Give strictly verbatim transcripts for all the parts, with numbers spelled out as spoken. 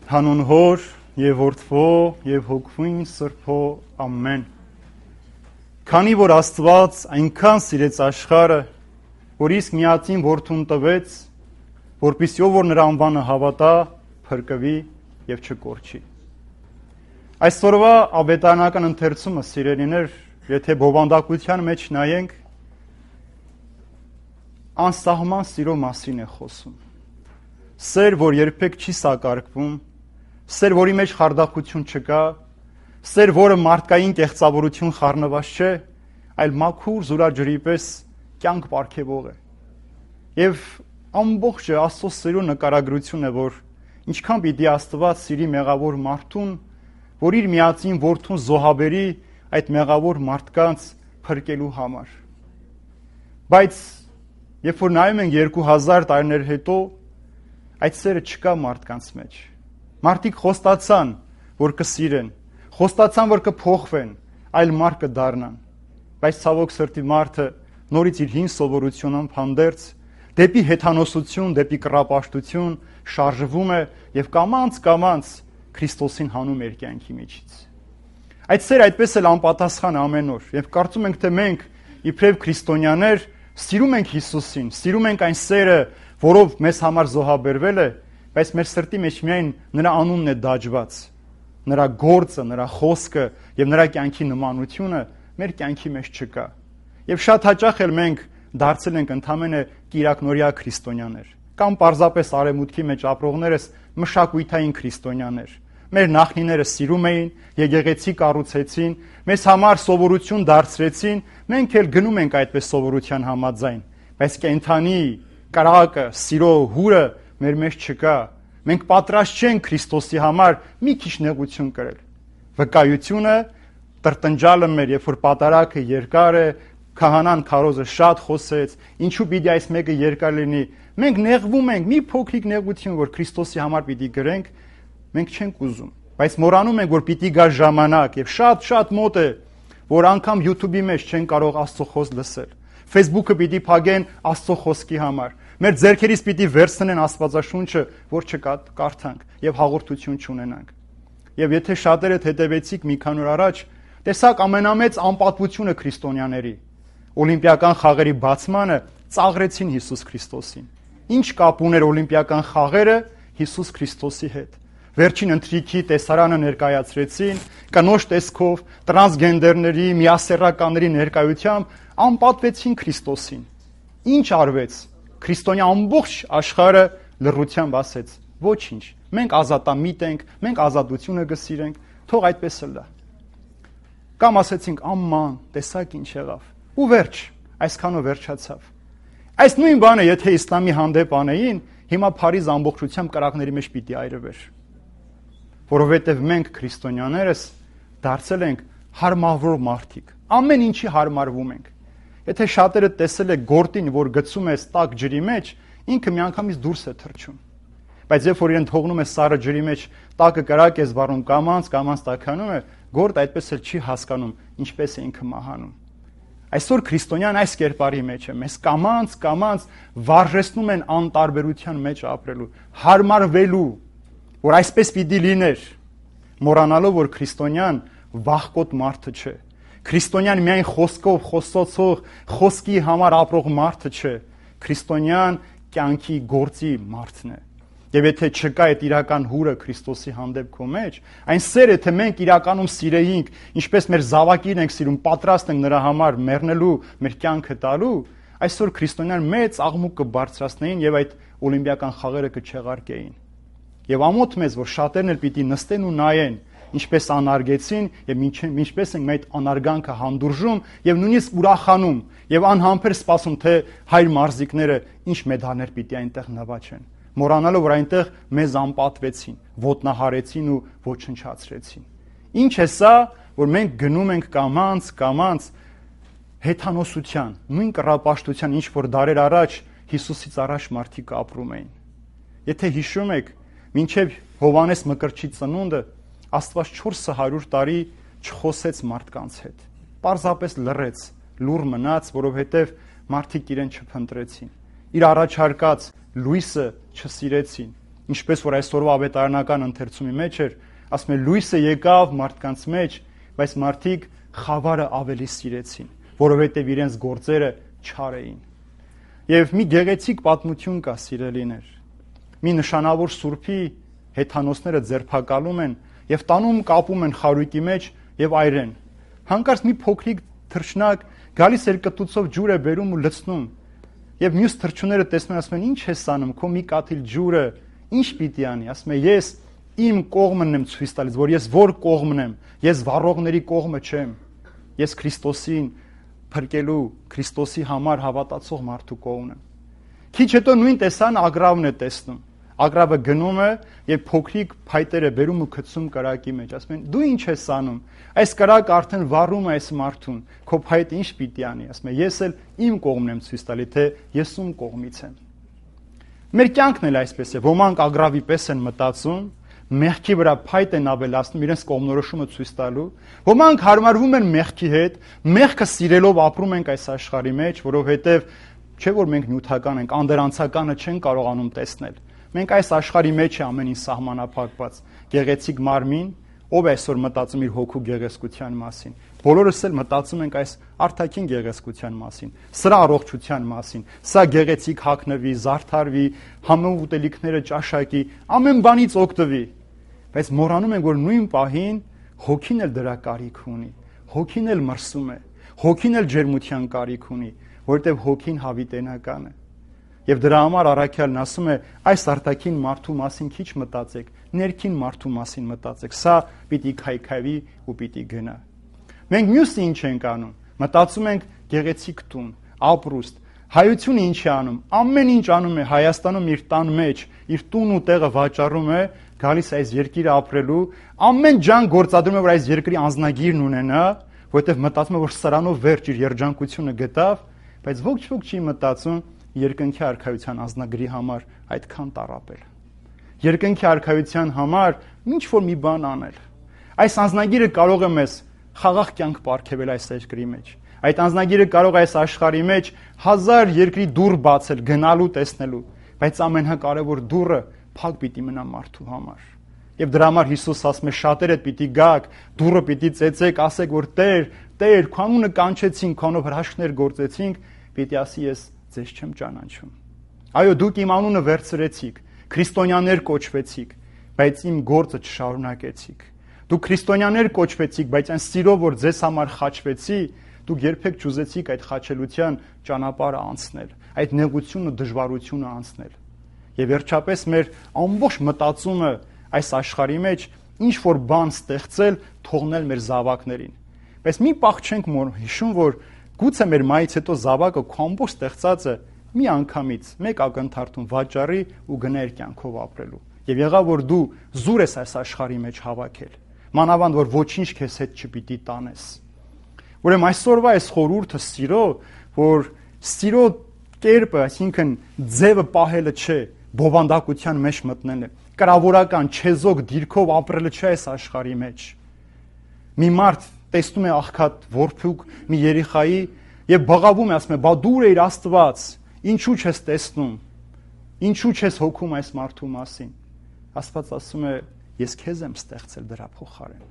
Հանուն Հոր եւ Որդվո եւ Հոգվին Սրբո ամեն։ Քանի որ Աստված այնքան սիրեց աշխարհը, որ իսկ միածին Որդուն տվեց, որպեսզի ով որ նրա անվանը հավատա, փրկվի եւ չկորչի։ Այսօրվա ավետարանական ընթերցումը, սիրելիներ, եթե բովանդակության մեջ նայենք, անսահման սիրո մասին է խոսում։ Սեր, որ երբեք չի սակարկվում, սեր, որի մեջ խարդախություն չկա, սեր, որը մարդկային կեղծավորություն խառնված չէ, այլ մաքուր զուրաջրի պես կյանք պարգևող է։ Եվ ամբողջը Աստծո սերո նկարագրություն է, որ ինչքան պիտի Աստված սիրի մեղավոր մարդուն, որ իր միածին որդուն զոհաբերի այդ մեղավոր մարդկանց փրկելու համար։ Բայց երբ որ նայում ենք երկու հազար տարիներ հետո, այդ սերը չկա մարդկանց մեջ։ Մարդիկ խոստացան, որ կսիրեն, խոստացան, որ կփոխվեն, այլ մարդ կդառնան։ Բայց ցավոք սրտի մարդը նորից իր հին սովորությունով հանդերձ դեպի հեթանոսություն, դեպի կռապաշտություն շարժվում է եւ կամաց-կամաց Քրիստոսին հանում իր կյանքի միջից։ Այդ սերը այդպես էլ անպատասխան ամեն օր, եւ կարծում ենք, թե մենք իբրև քրիստոնյաներ սիրում ենք Հիսուսին, սիրում ենք այն սերը, որով մեզ համար զոհաբերվել է, բայց մեր սրտի մեջ միայն նրա անունն է դաջված, նրա գործը, նրա խոսքը եւ նրա կյանքի նմանությունը մեր կյանքի մեջ չկա։ Եվ շատ հաճախ էլ մենք դարձել ենք ընդամենը կիրակնորյա քրիստոնյաներ, կամ պարզապես արևմուտքի մեջ ապրողներս մշակույթային քրիստոնյաներ։ Մեր նախնիները սիրում էին, եկեղեցի կառուցեցին, մեզ համար սովորություն դարձրեցին, մենք էլ գնում ենք այդպես սովորության համաձայն, բայց կենթանի կրակը, սիրո հուրը մեր մեջ չկա։ Մենք պատրաստ չենք Քրիստոսի համար մի քիչ նեղություն կրել։ Վկայությունը տրտնջալը մեր, երբ որ պատարակը երկար է, քահանան քարոզը շատ խոսեց, ինչու պիտի այս մեկը երկար լինի։ Մենք նեղվում ենք, մի փոքրիկ նեղություն, որ Քրիստոսի համար պիտի գրենք, մենք չենք ուզում։ Բայց մոռանում ենք, որ պիտի գա ժամանակ, եւ շատ-շատ մոտ է, որ անգամ YouTube-ի մեջ չեն կարող Աստծո խոսք լսել։ Facebook-ը պիտի փակեն Աստծո խոսքի համար։ Մեր ձեռքերից պիտի վերցնեն Աստվածաշունչը, որ չկարդանք եւ հաղորդություն չունենանք։ Եվ եթե շատերդ հետևեցիք մի քանի օր առաջ, տեսակ ամենամեծ անպատվությունը քրիստոնյաների օլիմպիական խաղերի բացմանը ծաղրեցին Հիսուս Քրիստոսին։ Ինչ կապ ուներ օլիմպիական խաղերը Հիսուս Քրիստոսի հետ։ Վերջին ընթրիքի տեսարանը ներկայացրեցին, կնոջ տեսքով, տրանսգենդերների, միասեռականների ներկայությամբ անպատվեցին Քրիստոսին։ Ինչ արվեց։ Քրիստոնյա ամբողջ աշխարհը լռությամբ ասեց. ոչինչ, մենք ազատամիտ ենք, մենք ազատությունը կսիրենք, թող այդպես լա։ Կամ ասեցինք աման, տեսակ ինչ եղավ։ Ու վերջ, այսքանով վերջացավ։ Այս նույն բանը, եթե իսլամի հանդեպ անեին, հիմա Փարիզ ամբողջությամբ կրակների մեջ պիտի այրվեր։ Որովհետև մենք քրիստոնյաներս դարձել ենք հարմարվող մարդիկ։ Ամեն ինչի հարմարվում ենք։ Եթե շատերը տեսել եք գորտին, որ գցում ես տաք ջրի մեջ, ինքը միանգամից դուրս է թռչում։ Բայց երբ որ իրեն թողնում է սառը ջրի մեջ, տակը կրակ է զվարում, կամանց, կամանց տաքանում է, գորտ այդպես էլ չի հասկանում, ինչպես է ինքը մահանում։ Այսօր քրիստոնյան այս կերպարի մեջ է, մեզ կամանց, կամանց վարժեցնում են անտարբերության մեջ ապրելու, հարմարվելու, որ այսպես պիտի լիներ, մոռանալով, որ քրիստոնյան վախկոտ մարդը չէ։ Քրիստոնյան միայն խոսքով խոսոցող, խոսքի համար ապրող մարդը չէ։ Քրիստոնյան կյանքի գործի մարդն է։ Եվ եթե չկա այդ իրական հուրը Քրիստոսի հանդեպ քո մեջ, այն սերը, թե մենք իրականում սիրեինք, ինչպես մեր զավակին ենք սիրում, պատրաստ ենք նրա համար մեռնելու, մեր կյանքը տալու, այսօր քրիստոնյան մեծ աղմուկ կբարձրացնեին եւ այդ օլիմպիական խաղերը կչեղարկեին։ Եվ ամոթ մեզ, որ շատերն էլ պիտի նստեն ու նայեն, ինչպես անարգեցին եւ ինչպես ենք այդ անարգանքը հանդուրժում եւ նույնիսկ ուրախանում եւ անհամբեր սպասում, թե հայր մարզիկները ինչ մեդալներ պիտի այնտեղ նվաճեն, մոռանալով, որ այնտեղ մեզ անպատվեցին, ոտնահարեցին ու ոչնչացրեցին։ Ինչ է սա, որ մենք գնում ենք կամանց, կամանց հեթանոսության, նույն կռապաշտության, ինչ որ դարեր առաջ Հիսուսից առաջ մարդիկ ապրում էին։ Եթե հիշում եք, մինչև Հովհաննես Մկրտչի ծնունդը Աստված չորս հարյուր տարի չխոսեց մարդկանց հետ։ Պարզապես լռեց, լուռ մնաց, որովհետև մարդիկ իրեն չփնտրեցին։ Իր առաջարկած լույսը չսիրեցին։ ինչպես որ այսօրվա ավետարանական ընթերցումի մեջ էր, ասում է լույսը եկավ մարդկանց մեջ, բայց մարդիկ խավարը ավելի սիրեցին, որովհետև իրենց գործերը չար էին։ Եվ մի գեղեցիկ պատմություն կա, սիրելիներ։ Մի նշանավոր սուրբի հեթանոսները ձերբակալում են եւ տանում կապում են խարույկի մեջ եւ այրեն։ Հանկարծ մի փոքրիկ թռչնակ գալիս երկտուցով ջուր է բերում ու լցնում։ Եվ մյուս թռչունները տեսնում են, ասում են, ի՞նչ ես անում, քո մի կաթիլ ջուրը ի՞նչ պիտի անի։ Ասում է, ես իմ կողմն եմ ցույց տալիս, որ ես որ կողմն եմ, ես վառողների կողմը չեմ։ Ես Քրիստոսին փրկելու, Քրիստոսի համար հավատացող մարդու կողմն եմ։ Քիչ հետո նույն տեսան Ագրավն է տեսնում։ Ագրավը գնում է եւ փոքրիկ փայտերը բերում ու գցում կրակի մեջ, ասում են, դու ինչ ես անում։ Այս կրակը արդեն վառում է այս մարդուն, քո փայտը ինչ պիտի անի։ Ասում է, ես էլ իմ կողմն եմ ցույց տալի, թե ես ում կողմից եմ։ Մեր կյանքն էլ այսպես է, ոմանք Ագրավի պես են մտածում, մեղքի վրա փայտ են ավելացնում իրենց կողմնորոշումը ցույց տալու, ոմանք հարմարվում են մեղքի հետ, մեղքը սիրելով ապրում ենք այս աշխարհի մեջ, որովհետև չէ որ մենք նյութական ենք, անդերանցականը չեն կարողանում տեսնել։ Մենք այս աշխարհի մեջ է ամեն ինչ սահմանափակված, գեղեցիկ մարմին, ով է այսօր մտածում իր հոգու գեղեցկության մասին։ Բոլորս էլ մտածում ենք այս արտաքին գեղեցկության մասին, սրա առողջության մասին, սա գեղեցիկ հագնվի, զարդարվի, համով ուտելիքները ճաշակի, ամեն բանից օգտվի։ Բայց մոռանում ենք, որ նույն պահին հոգին էլ դրա կարիք ունի, հոգին էլ մրսում է, հոգին էլ ջերմության կարիք ունի, որովհետև հոգին հավիտենական է։ Եվ դրա համար առաքյալն ասում է, այս արտաքին մարդու մասին քիչ մտածեք, ներքին մարդու մասին մտածեք, սա պիտի քայքայվի ու պիտի գնա։ Մենք մյուսը ինչ ենք անում, մտածում ենք գեղեցիկ տուն, ապրուստ, հայությունը ինչ է անում, ամեն ինչ անում է Հայաստանում իր տան մեջ, իր տուն ու տեղը վաճառում է, գալիս այս երկիրը ապրելու, ամեն ջան գործադրում է, որ այս երկրի անձնագիրն ունենա, որովհետև մտածում է, որ սրանով վերջ իր երջանկությունը գտավ, բայց ոչ ոք չի մտածում երկնքի արքայության անձնագրի համար այդքան տարապել։ Երկնքի արքայության համար ինչ որ մի բան անել։ Այս անձնագիրը կարող է մեզ խաղաղ կյանք պարգևել այս երկրի մեջ։ Այդ անձնագիրը կարող է այս աշխարհի մեջ հազար երկրի դուռ բացել, գնալու, տեսնելու, բայց ամենակարևոր դուռը փակ պիտի մնա մարդու համար։ Եվ դրա համար Հիսուս ասում է, շատերը պիտի գաք, դուռը պիտի ծեծեք, ասեք, որ Տեր, Տեր, քո անունը կանչեցինք, քո անունով հրաշքներ գործեցինք, պիտի ասի ես ձեզ չեմ ճանաչում։ Այո, դուք իմ անունը վերցրեցիք, քրիստոնյաներ կոչվեցիք, բայց իմ գործը չշարունակեցիք։ Դուք քրիստոնյաներ կոչվեցիք, բայց այն սիրով, որ ձեզ համար խաչվեցի, դուք երբեք չուզեցիք այդ խաչելության ճանապարհը անցնել, այդ նեղությունը, դժվարությունը անցնել։ Եվ վերջապես մեր ամբողջ մտածումը այս աշխարհի մեջ ինչ որ բան ստեղծել, թողնել մեր զավակներին։ Բայց մի պահ չենք հիշում, որ գուցե մեր մայից հետո զավակը քո ամբողջ ստեղծածը մի անգամից մեկ ակնթարթում վաճառի ու գնա իր կյանքով ապրելու։ Եվ եղավ որ դու զուր ես այս աշխարհի մեջ հավաքել, մանավանդ որ ոչինչ քեզ հետ չպիտի տանես։ Ուրեմն այսօրվա այս խորհուրդը սիրո, որ սիրո կերպը, այսինքն ձևը պահելը չէ, բովանդակության մեջ մտնելը, կրավորական չեզոք դիրքով ապրելը չէ այս աշխարհի մեջ։ Մի մարդ տեսնում է աղքատ որփուկ մի երեխայի եւ բղավում է, ասում է, բա դու ես Աստված, ինչու չես տեսնում, ինչու չես հոգում այս մարդու մասին։ Աստված ասում է, ես քեզ եմ ստեղծել դրա փոխարեն,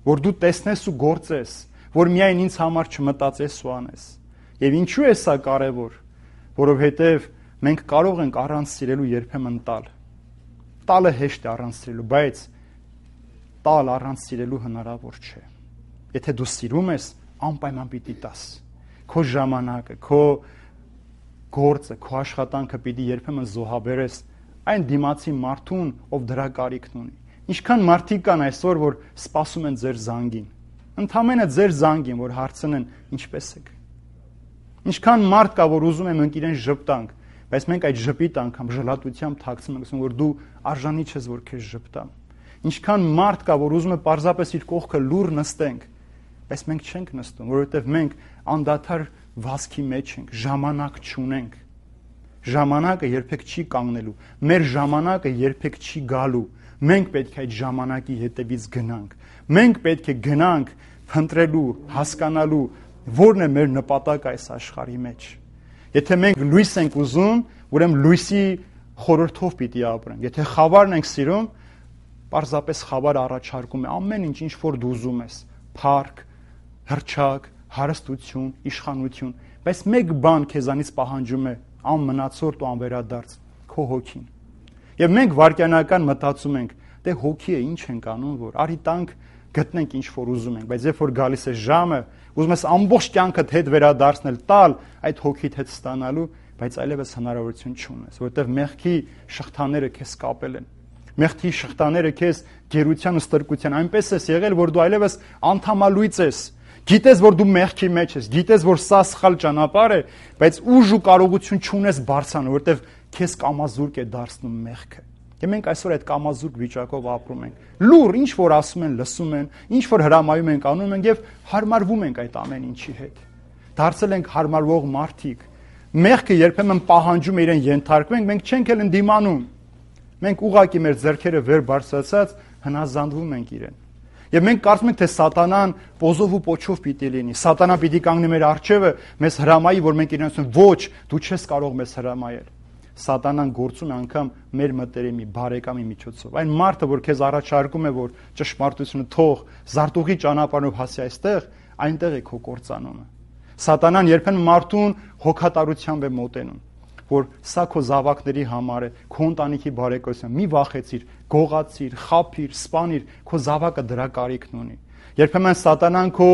որ դու տեսնես ու գործես, որ միայն ինձ համար չմտածես ու անես։ Եվ ինչու է սա կարևոր, որովհետև մենք կարող ենք առանց սիրելու երբեմն տալ։ Տալը հեշտ է առանց սիրելու, բայց տալ առանց սիրելու հնարավոր չէ։ Եթե դու սիրում ես, անպայման պիտի տաս։ Քո ժամանակը, քո գործը, քո աշխատանքը պիտի երբեմն զոհաբերես այն դիմացի մարդուն, ով դրա կարիքն ունի։ Ինչքան մարդիկ կան այսօր, որ սպասում են ձեր զանգին, ընդամենը ձեր զանգին, որ հարցնեն ինչպես եք։ Ինչքան մարդ կա, որ ուզում է մենք իրեն ժպտանք, բայց մենք այդ ժպիտ անգամ ժլատությամբ թաքցնում ենք, ասում որ դու արժանի չես, որ քեզ ժպտամ։ Ինչքան մարդ կա, որ ուզում է պարզապես իր կողքը լուր նստենք, բայց մենք չենք նստում, որովհետև մենք անդադար վազքի մեջ ենք, ժամանակ չունենք։ Ժամանակը երբեք չի կանգնելու, մեր ժամանակը երբեք չի գալու։ Մենք պետք է այդ ժամանակի հետևից գնանք։ Մենք պետք է գնանք փնտրելու, հասկանալու, որն է մեր նպատակը այս աշխարհի մեջ։ Եթե մենք լույս ենք ուզում, ուրեմն լույսի խորհրդով պիտի ապրենք։ Եթե խավարն ենք սիրում, պարզապես խավարը առաջարկում է ամեն ինչ, ինչ որ դու ուզում ես՝ փառք, հռչակ, հարստություն, իշխանություն, բայց մեկ բան քեզանից պահանջում է անմնացորդ ու անվերադարձ՝ քո հոգին։ Եվ մենք վարքյանական մտածում ենք, դե հոգի է, ինչ ենք անում, որ արի տանք գտնենք ինչ որ ուզում ենք, բայց երբ որ գալիս է ժամը, ուզում ես ամբողջ կյանքդ հետ վերադարձնել, տալ այդ հոգիդ հետ ստանալու, բայց այլևս հնարավորություն չունես, որովհետև մեղքի շղթաները քեզ կապել են։ Մեղքի շղթաները քեզ գերության ու ստրկության այնպես ես եղել, որ դու այլևս անդամալույց ես։ Գիտես, որ դու մեղքի մեջ ես, գիտես, որ սա սխալ ճանապարհ է, բայց ուժ ու կարողություն չունես բարձրանալ, որովհետև քեզ կամազուրկ է դարձնում մեղքը։ Եվ մենք այսօր այդ կամազուրկ վիճակով ապրում ենք։ Լուր, ինչ որ ասում են, լսում են, ինչ որ հրամայում ենք, անում ենք եւ հարմարվում ենք այդ ամեն ինչի հետ։ Դարձել ենք հարմարվող մարդիկ։ Մեղքը երբեմն պահանջում է իրեն ենթարկվենք, մենք չենք էլ ընդդիմանում։ Մենք ուղակի մեր ձեռքերը վեր բարձրացած հնազանդվում ենք իրեն։ Եվ մենք կարծում ենք, թե սատանան պոզով ու պոչով պիտի լինի։ Սատանան պիտի կանգնի մեր առջևը, մեզ հրամայի, որ մենք իրեն ասենք, ոչ, դու չես կարող մեզ հրամայել։ Սատանան գործում է անգամ մեր մտերիմի, բարեկամի միջոցով։ Այն մարդը, որ քեզ առաջարկում է, որ ճշմարտությունը թող, զարտուղի ճանապարհով հասի այստեղ, այնտեղ է քո կործանումը։ Սատանան երբեմն մարդուն հոգատարությամբ է մոտենում, որ սա քո զավակների համար է, քո ընտանիքի բարեկամության, մի վախեցիր, գողացիր, խափիր, սպանիր, քո զավակը դրա կարիքն ունի։ Երբեմն սատանան քո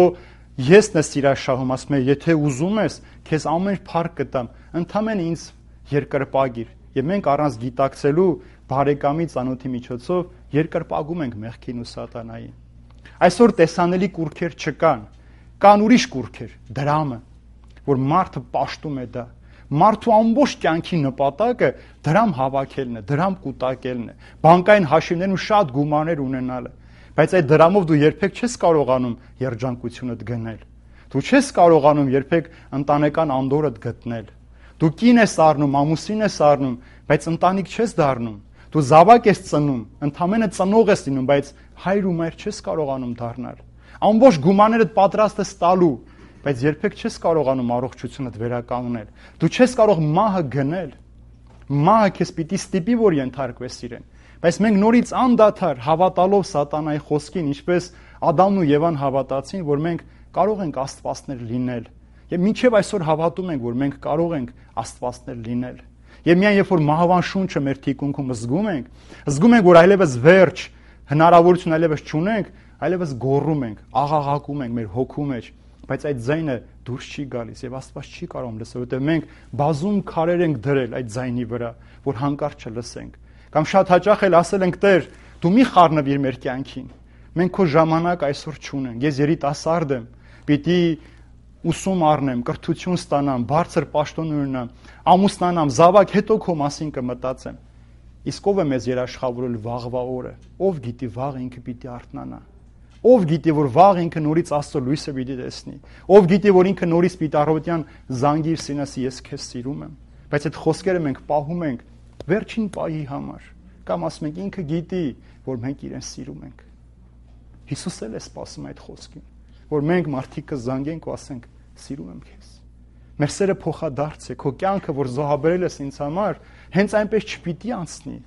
եսն է սիրաշահում, ասում է, եթե ուզում ես, քեզ ամեն փառք կտամ, ընդամենը ինձ երկրպագիր։ Եվ մենք առանց գիտակցելու բարեկամի ծանոթի միջոցով երկրպագում ենք մեղքին ու սատանային։ Այսօր տեսանելի կուրքեր չկան, կան ուրիշ կուրքեր, դրամը, որ մարդը պաշտում է դա։ Մարդու ամբողջ կյանքի նպատակը դրամ հավաքելն է, դրամ կուտակելն է, բանկային հաշիվներում շատ գումարներ ունենալը, բայց այդ դրամով դու երբեք չես կարողանում երջանկությունդ գնել։ Դու չես կարողանում երբեք ընտանեկան անդորրդ գտնել։ Դու կին ես առնում, ամուսին ես առնում, բայց ընտանիք չես դառնում։ Դու զավակ ես ծնում, ընդամենը ծնող ես լինում, բայց հայր ու մայր չես կարողանում դառնալ։ Ամբողջ գումարներդ պատրաստ ես տալու, բայց երբեք չես կարողանում առողջությունդ վերականգնել։ Դու չես կարող մահը գնել։ Մահը քեզ պիտի ստիպի, որ ենթարկվես իրեն։ Բայց մենք նորից անդադար հավատալով սատանայի խոսքին, ինչպես Ադամն ու Եվան հավատացին, որ մենք կարող ենք աստվածներ լինել։ Եվ մինչև այսօր հավատում ենք, որ մենք կարող ենք աստվածներ լինել։ Եվ միայն երբ որ մահվան շունչը մեր թիկունքում զգում ենք, զգում ենք, որ այլևս վերջ, հնարավորություն այլևս չունենք, այլևս գոռում ենք, աղաղակում ենք մեր հոգու մեջ, բայց այդ ձայնը դուրս չի գալիս եւ Աստված չի կարող լսել, որովհետեւ մենք բազում քարեր ենք դրել այդ ձայնի վրա, որ հանկարծ չլսենք։ Կամ շատ հաճախ էլ ասել ենք, Տեր, դու մի խառնվիր մեր կյանքին։ Մենք քո ժամանակ այսօր չունենք։ Ես երիտասարդ եմ, պիտի ուսում առնեմ, կրթություն ստանամ, բարձր պաշտոն ունենամ, ամուսնանամ, զավակ, հետո քո մասին կմտածեմ։ Իսկ ով է մեզ երաշխավորել վաղվա օրը։ Ով գիտի վաղ ինքը պիտի արթնանա։ Ով գիտի, որ վաղ ինքը նորից Աստծո լույսը պիտի տեսնի։ Ով գիտի, որ ինքը նորից պիտի առավոտյան զանգի իր սինասի, ես քեզ սիրում եմ։ Բայց այդ խոսքերը մենք պահում ենք վերջին պահի համար։ Կամ ասում ենք ինքը գիտի, որ մենք իրեն սիրում ենք։ Հիսուս էլ է սպասում այդ խոսքին, որ մենք մարդիկը զանգենք ու ասենք սիրում եմ քեզ։ Մեր սերը փոխադարձ է, քո կյանքը, որ զոհաբերել ես ինձ համար, հենց այնպես չպիտի անցնի։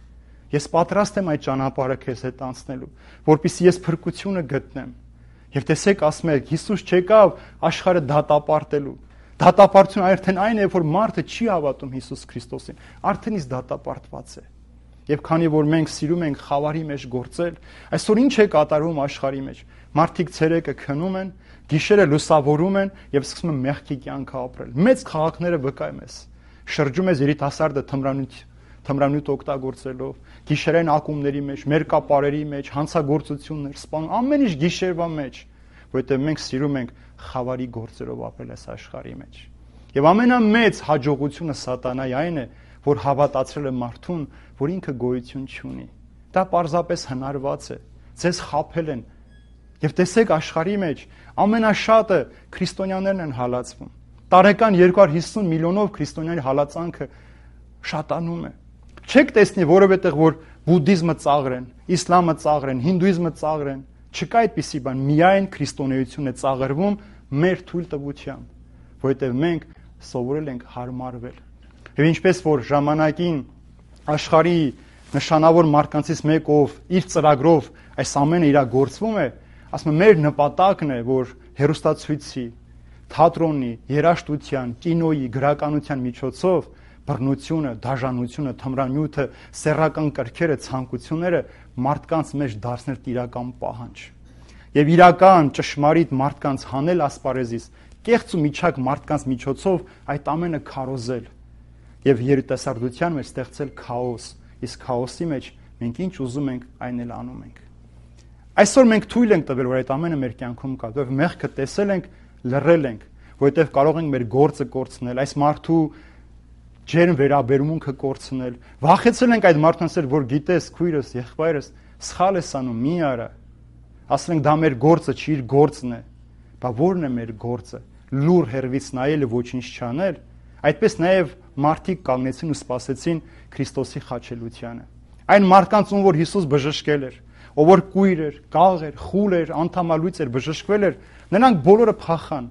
Ես պատրաստ եմ այդ ճանապարհը քեզ հետ անցնելու, որպեսզի ես փրկությունը գտնեմ։ Եվ տեսեք, ասում եք, Հիսուս չեկավ աշխարհը դատապարտելու։ Դատապարտությունը արդեն այն է, որ մարդը չի հավատում Հիսուս Քրիստոսին, արդեն իսկ դատապարտված է։ Եվ քանի որ մենք սիրում ենք խավարի մեջ գործել, այսօր ինչ է կատարվում աշխարհի մեջ։ Մարդիկ ցերեկը քնում են, գիշերը լուսավորում են եւ սկսում են մեղքի կյանք ապրել։ Մեծ քաղաքները վկայում ես։ Շրջում ես երիտասարդը թմրանյութ թմրանյութ օգտագործելով, գիշերային ակումբների մեջ, մերկապարերի մեջ, հանցագործություններ, սպանում, ամեն ինչ գիշերվա մեջ, որովհետեւ մենք սիրում ենք խավարի գործերով ապրել այս աշխարհի մեջ։ Եվ ամենամեծ հաջողությունը սատանայի այն է, որ հավատացրել է մարդուն, որ ինքը գոյություն չունի։ Դա պարզապես հնարված է։ Ձեզ խաբել են։ Եվ տեսեք աշխարհի մեջ ամենաշատը քրիստոնյաներն են հալածվում։ Տարեկան երկու հարյուր հիսուն միլիոնով քրիստոնյաների հալածանքը շատանում է։ Չեք տեսնի որևէտեղ, որ բուդդիզմը ծաղր են, իսլամը ծաղր են, հինդուիզմը ծաղր են։ Չկա այդպիսի բան, միայն քրիստոնեությունն է ծաղրվում մեր թույլտվությամբ, որովհետև մենք սովորել ենք հարմարվել։ Եվ ինչպես որ ժամանակին աշխարհի նշանավոր մարդկանցից մեկ, ով իր ծրագրով այս ամենը իրագործվում է, ասում եմ, մեր նպատակն է, որ հեռուստացույցի, թատրոնի, երաժշտության, կինոյի, գրականության միջոցով բռնությունը, դաժանությունը, թմրանյութը, սեռական կրքերը, ցանկությունները մարդկանց մեջ դարձնել իրական պահանջ։ Եվ իրական ճշմարիտ մարդկանց հանել ասպարեզից, կեղծ ու միջակ մարդկանց միջոցով այդ ամենը քարոզել եւ երիտասարդության մեջ ստեղծել քաոս, իսկ քաոսի մեջ մենք ինչ ուզում ենք, այն էլ անում ենք։ Այսօր մենք թույլ ենք տվել, որ այդ ամենը մեր կյանքում կա, եւ մեղքը տեսել ենք, լռել ենք, որովհետեւ կարող ենք մեր գործը կորցնել, այս մարդու ջերմ վերաբերմունքը կորցնել։ Վախեցել ենք այդ մարդկանց, որ գիտես, քույրս, եղբայրս, սխալ ես անում, մի արա։ Ասել ենք դա մեր գործը չի, իր գործն է։ Բա ո՞րն է մեր գործը։ Լուր հերվից նայելը ոչինչ չանել։ Այդպես նաև մարդիկ կանգնեցին ու սպասեցին Քրիստոսի խաչելությանը։ Այն մարդկանց, ում որ Հիսուս բժշկել էր, ով որ կույր էր, կաղ էր, խուլ էր, անդամալույց էր, բժշկվել էր, նրանք բոլորը փախան,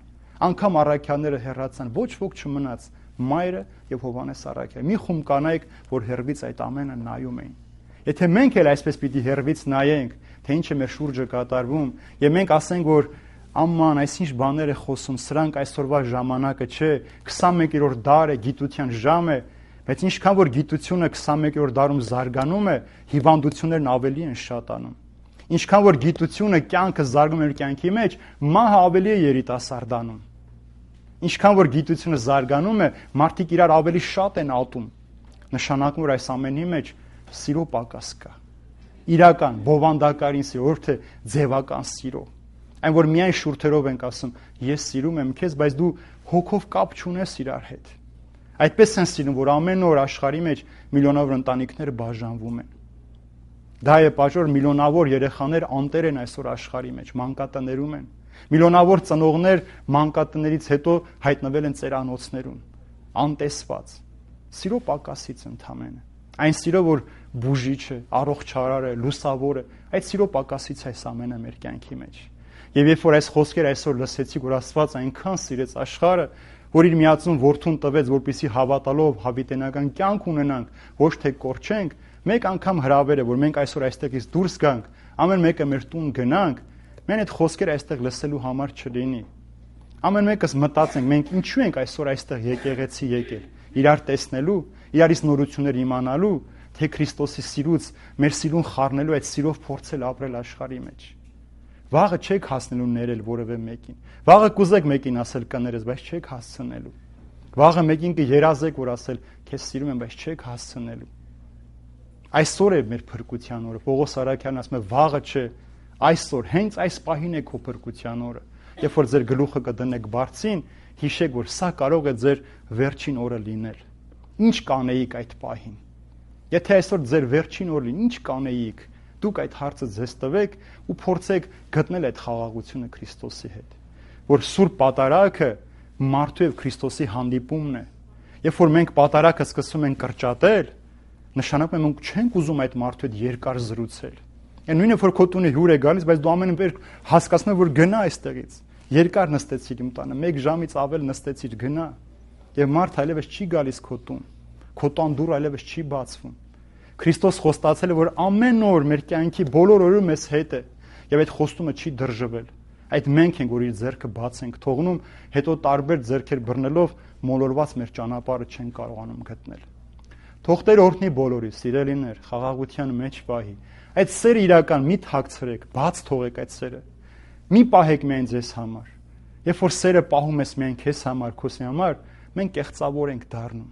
անգամ առաքյալները հեռացան, ոչ ոք չմնաց, Մայրը եւ Հովհաննես առաքյալ։ Մի խումբ կանայք, որ հեռվից այդ ամենը նայում էին։ Եթե մենք էլ այսպես պիտի հեռվից նայենք, թե ինչ է մեր շուրջը կատարվում, եւ մենք ասենք, որ աման, այսինչ բաներ է խոսում, սրանք այսօրվա ժամանակը չէ, քսանմեկերորդ դար է, գիտության ժամ է, բայց ինչքան որ գիտությունը քսանմեկերորդ դարում զարգանում է, հիվանդություններն ավելի են շատանում։ Ինչքան որ գիտությունը կյանքը զարգանում է կյանքի մեջ, մահը ավելի է երիտասարդանում։ Ինչքան որ գիտությունը զարգանում է, մարդիկ իրար ավելի շատ են ատում։ Նշանակում որ այս ամենի մեջ սիրո պակաս կա։ Իրական, բովանդակարին սիրո, որ թե ձևական սիրո։ Այն որ միայն շուրթերով ենք ասում, ես սիրում եմ քեզ, բայց դու հոգով կապ չունես իրար հետ։ Այդպես են սիրում, որ ամեն օր աշխարհի մեջ միլիոնավոր ընտանիքներ բաժանվում են։ Դա է պատճառը, միլիոնավոր երեխաներ անտեր են այսօր աշխարհի մեջ, մանկատներում են։ Միլիոնավոր ծնողներ մանկատներից հետո հայտնվել են ծերանոցներում, անտեսված։ Սիրո պակասից ընդամենը։ Այն սիրո, որ բուժիչ է, առողջարար է, լուսավոր է, այդ սիրո պակասից այս ամենը մեր կյանքի մեջ։ Եվ երբ որ այս խոսքերը այսօր լսեցի, որ Աստված այնքան սիրեց աշխարհը, որ իր միածուն որդուն տվեց, որպեսզի հավատալով հավիտենական կյանք ունենանք, ոչ թե կորչենք, մեկ անգամ հրավեր է, որ մենք այսօր այստեղից դուրս գանք, ամեն մեկը մեր տուն գնանք, մենք այդ խոսքերը այստեղ լսելու համար չլինի։ Ամեն մեկս մտածենք, մենք ինչու ենք այսօր այստեղ եկեղեցի եկել, իրար տեսնելու, իրարից նորություններ իմանալու, թե Քրիստոսի սիրուց մեր սիրուն խառնելու, այդ սիրով փորձել ապրել աշխարհի մեջ։ Վաղը չեք հասնելու ներել որևէ մեկին։ Վաղը կուզեք մեկին ասել կներես, բայց չեք հասցնելու։ Վաղը մեկին կերազեք, որ ասել քեզ սիրում եմ, բայց չեք հասցնելու։ Այսօր է մեր փրկության օրը։ Պողոս Արաքյանն ասում է, վաղը չէ, այսօր, հենց այս պահին է քո փրկության օրը։ Երբ որ ձեր գլուխը կդնեք բարձին, հիշեք, որ սա կարող է ձեր վերջին օրը լինել։ Ինչ կանեիք այդ պահին։ Եթե այսօր ձեր վերջին օրը լինի, ինչ կանեիք։ Դուք այդ հարցը ձեզ տվեք ու փորձեք գտնել այդ խաղաղությունը Քրիստոսի հետ, որ սուրբ պատարագը մարդու եւ Քրիստոսի հանդիպումն է։ Երբ որ մենք պատարագը սկսում ենք կրճատել, նշանակում է մենք չենք ուզում այդ մարդու հետ երկար զրուցել։ Այն նույնը որ քո տունը հյուր է գալիս, բայց դու ամեն ինչ հասկացնում ես, որ գնա այստեղից։ Երկար նստեցիր իմ տանը, մեկ ժամից ավել նստեցիր, գնա։ Եվ մարդ այլևս չի գալիս քո տուն։ Քո տան դուռը այլևս չի բացվում։ Քրիստոս խոստացել է, որ ամեն օր մեր կյանքի բոլոր օրը մեզ հետ է, եւ այդ խոստումը չի դրժվել։ Այդ մենք ենք, որ իր ձեռքը բաց ենք թողնում, հետո տարբեր ձեռքեր բռնելով մոլորված մեր ճանապարհը չեն կարողանում գտնել։ Թող Տեր օրհնի բոլորիս, սիրելիներ, խաղաղության մեջ պահի։ Այդ սերը իրական մի թաքցրեք, բաց թողեք այդ սերը։ Մի պահեք միայն ձեզ համար։ Երբ որ սերը պահում ես միայն քեզ համար, քոսի համար, մենք կեղծավոր ենք դառնում։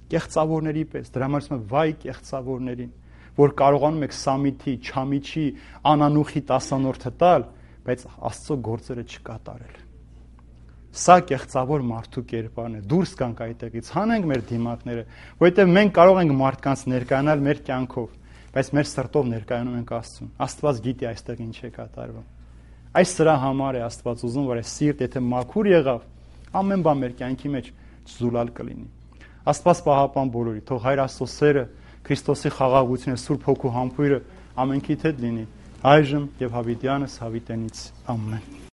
Կեղծավորների պես, դրա համար ասում եմ վայ կեղծավորներին, որ կարողանում եք սամիթի, չամիչի, անանուխի տասանորդը տալ, բայց Աստծո գործերը չկատարել։ Սա կեղծավոր մարդու կերպարն է։ Դուրս գանք այդտեղից, հանենք մեր դիմակները, որովհետև մենք կարող ենք մարդկանց ներկայանալ մեր կյանքով, բայց մեր սրտով ներկայանում ենք Աստծուն։ Աստված գիտի այստեղ ինչ է կատարվում։ Այս սրա համար է Աստված ուզում, որ այս սիրտ, եթե մաքուր եղավ, ամեն բան մեր կյանքի մեջ զուլալ կլինի։ Աստված պահապան բոլորի, թող Հայր Աստծո սերը, Քրիստոսի խաղաղությունը, Սուրբ Հոգու համբույրը ամենքիդ հետ լինի, այժմ եւ հավիտյանս հավիտենից։ Ամեն։